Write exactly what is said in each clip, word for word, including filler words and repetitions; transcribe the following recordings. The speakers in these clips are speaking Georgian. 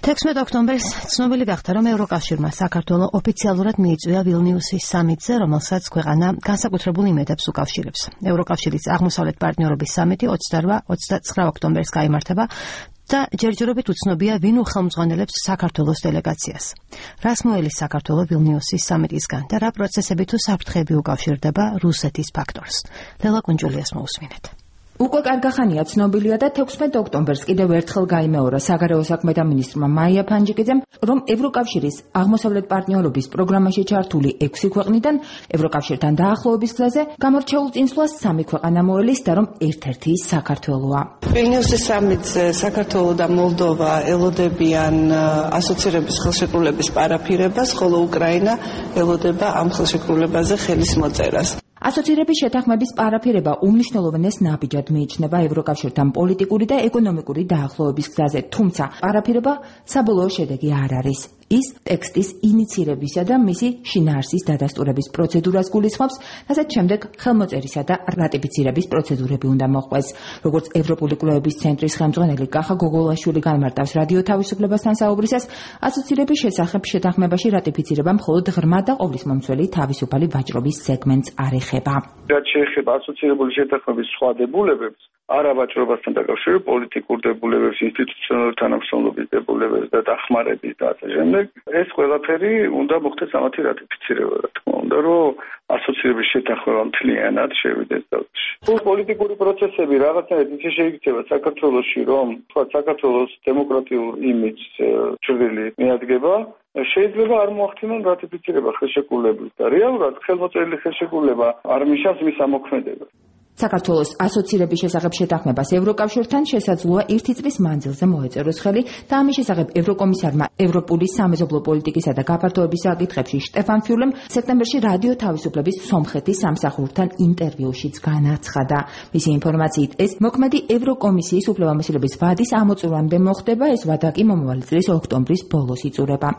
თექვსმეტ ოქტომბერს ცნობილი გახდა, რომ ევროკავშირმა საქართველოს ოფიციალურად მიიწვია ვილნიუსის სამიტზე, რომელსაც ქვეყანა განსაკუთრებულ იმედებს უკავშირებს. ევროკავშირის აღმოსავლეთ პარტნიორობის სამიტი ოცდაოთხ ოცდაცხრა ოქტომბერს გაიმართება და ჯერჯერობით უცნობია, ვინ უხელმძღვანელებს საქართველოს დელეგაციას. რას მოელის საქართველოს ვილნიუსის სამიტისგან და რა პროცესები თუ საფრთხეები უკავშირდება რუსეთის ფაქტორს. ლელა კუნჯულიას მოусმინეთ. უკვე კარგახანია ცნობილია და თექვსმეტ ოქტომბერს კიდევ ერთხელ გაიმეორა საგარეო საქმეთა მინისტრმა მაია ფანჯიკიძემ, რომ ევროკავშირის აღმოსავლეთ პარტნიორობის პროგრამაში ჩართული ექვსი ქვეყნიდან ევროკავშირთან დაახლოების გზაზე გამორჩეულ წინსვლას სამი ქვეყანა მოელის და რომ ერთ-ერთი ის საქართველოა. ვილნიუსის სამიტზე საქართველო და მოლდოვა ელოდებიან ასოცირების ხელშეკრულების პარაფირებას, ხოლო უკრაინა ელოდება ამ ხელშეკრულებაზე ხელის მოწერას. ასოცირების შეთანხმების პარაფირება უმნიშვნელოვანეს ნაბიჯად მიიჩნევა ევროკავშირთან პოლიტიკური და ეკონომიკური დაახლოების გზაზე, თუმცა პარაფირება საბოლოო შედეგი არ არის. ის ტექსტის ინიცირებისა და მისი შინაარსის დადასტურების პროცედურას გულისხმობს, რასაც შემდეგ ხელმოწერისა და რატიფიცირების პროცედურები უნდა მოჰყვეს. როგორც ევროპული კვლევების ცენტრის ხელმძღვანელი კახა გოგოლაშვილი განმარტავს რადიო თავისუფლებასთან საუბრისას, ასოცირების შესახებ შეთანხმებაში რატიფიცირება მხოლოდ ღრმა და ყოვლისმომცველი თავისუფალი ვაჭრობის სეგმენტს არ ეხება. რაც შეეხება ასოცირებული შეთანხმების სხვა დებულებებს, არა ვაჭრობასთან დაკავშირებულ პოლიტიკურ დებულებებს, ინსტიტუციონალური თანამშრომლობის დებულებებს და დახმარების და ასე შემდეგ, ეს ყველაფერი უნდა მოხდეს ამათი რატიფიცირება, რა თქმა უნდა, რომ ასოცირების შეთანხმება მთლიანად შევიდეს ძალში. პოლიტიკური პროცესები რაღაცნაირად ისე შეიქცევა საქართველოში, რომ თქვა საქართველოს დემოკრატიულ იმიჯს ჭრილი მიადგება, შეიძლება არ მოახდინონ რატიფიცირება ხელშეკრულების და რეალურად ხელმოწერილი ხელშეკრულება არ მიშავს მის ამოქმედებას. საქართველოს ასოცირების შესახებ შეთანხმებას ევროკავშირთან შესაძლოა ერთი წლის მანძილზე მოეწეროს ხელი და ამის შესახებ ევროკომისარმა ევროპული სამეზობლო პოლიტიკისა და გაფართოების საკითხებში შტეფან ფიულემ სექტემბერში რადიო თავისუფლების სომხეთის სამსახურთან ინტერვიუშიც განაცხადა. მისი ინფორმაციით, ეს მოქმედი ევროკომისიის უფლებამოსილების ვადის ამოწურვამდე მოხდება, ეს ვადა კი მომავალი წლის ოქტომბრის ბოლოს იწურება.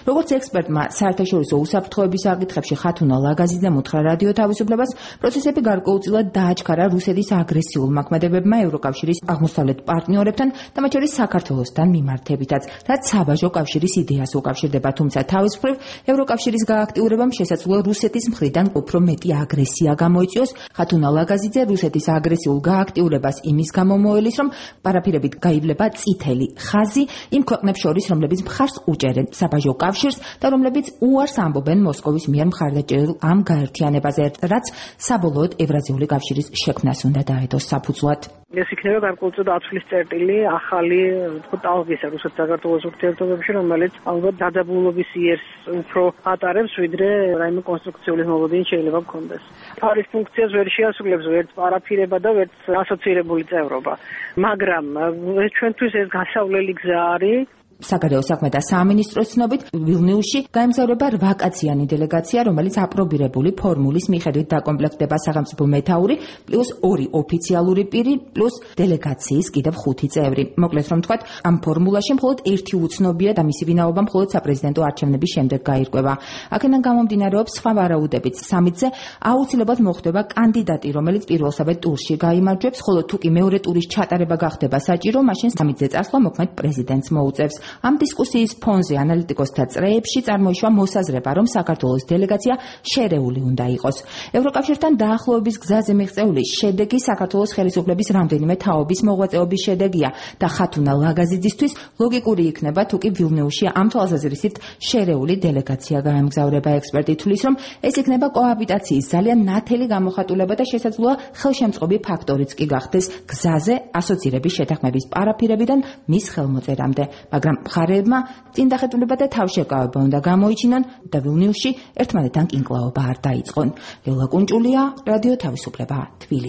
როგორც ექსპერტმა საერთაშორისო უსაფრთხოების საკითხებში ხათუნა ლაგაზიძემ უთხრა რადიო თავისუფლებას, პროცესები გარკვეულწილად დააჩქარა რუსეთის აგრესიულ მოქმედებებმა ევროკავშირის აღმოსავლეთ პარტნიორებთან და მათ შორის საქართველოსთან მიმართებითაც, რაც საბაჟო კავშირის იდეას უკავშირდება, თუმცა თავის მხრივ ევროკავშირის გააქტიურებამ შესაძლოა რუსეთის მხრიდან უფრო მეტი აგრესია გამოიწვიოს. ხათუნა ლაგაზიძე რუსეთის აგრესიულ გააქტიურებას იმის გამო მოელის, რომ პარაფირებით გაივლება წითელი ხაზი იმ ქვეყნებს შორის, რომლებიც მხარს უჭერენ საბაჟო კავშირს და რომლებიც უარს ამბობენ მოსკოვის მიერ მხარდაჭერილ ამ გაერთიანებაზე, რაც საბოლოოდ ევრაზიული კავშირის შექმნას უნდა დაედოს საფუძვლად. ეს იქნება გარკვეულწილად ათვლის წერტილი ახალი ტალღისა რუსეთ-საქართველოს ურთიერთობებში, რომელიც ალბათ დაძაბულობის იერს უფრო ატარებს, ვიდრე რაიმე კონსტრუქციული მოლოდინი შეიძლება გქონდეს. თავის ფუნქციას ვერ შეასრულებს ვერც პარაფირება და ვერც ასოცირებული წევრობა, მაგრამ ჩვენთვის ეს გასავლელი გზა არის. საგარეო საქმეთა სამინისტროს ცნობით, ვილნიუსში გაემგზავრება რვაკაციანი დელეგაცია, რომელიც აპრობირებული ფორმულის მიხედვით დაკომპლექტდება სახელმწიფო მეთაური, პლუს ორი ოფიციალური პირი, პლუს დელეგაციის კიდევ ხუთი წევრი. მოკლედ რომ ვთქვათ, ამ ფორმულაში მხოლოდ ერთი უცნობია და მისი ვინაობა მხოლოდ საპრეზიდენტო არჩევნების შემდეგ გაირკვევა. აქედან გამომდინარეობს სხვა ვარაუდებით. სამიტზე აუცილებლად მოხდება კანდიდატი, რომელიც პირველსავე ტურში გაიმარჯვებს, ხოლო თუ კი მეორე ტურის ჩატარება გახდება საჭირო, მაშინ სამიტზე წასვლა მოქმედ პრეზიდენტს მოუწევს. ამ დისკუსიის ფონზე ანალიტიკოსთა წრეებში წარმოიშვა მოსაზრება, რომ საქართველოს დელეგაცია შერეული უნდა იყოს. ევროკავშირთან დაახლოების გზაზე მიღწეული შედეგი საქართველოს ხელისუფლების რამდენიმე თაობის მოღვაწეობის შედეგია და ხათუნა ლაგაზიძისთვის ლოგიკური იქნება, თუ კი ვილნიუსში ამ თვალსაზრისით შერეული დელეგაცია გაემგზავრება. ექსპერტი თვლის, რომ ეს იქნება კოაბიტაციის ძალიან ნათელი გამოხატულება და შესაძლოა ხელშემწყობი ფაქტორიც კი გახდეს გზაზე ასოცირების შეთანხმების პარაფირებიდან მის ხელმოწერამდე, მაგრამ მხარეებმა წინ დახეტულება და თავშეკავება უნდა გამოიჩინონ და ვილნიუსში ერთმანეთთან კინკლაობა არ დაიწყონ. ლელა კუნჭულია, რადიო თავისუფლება, თბილისი.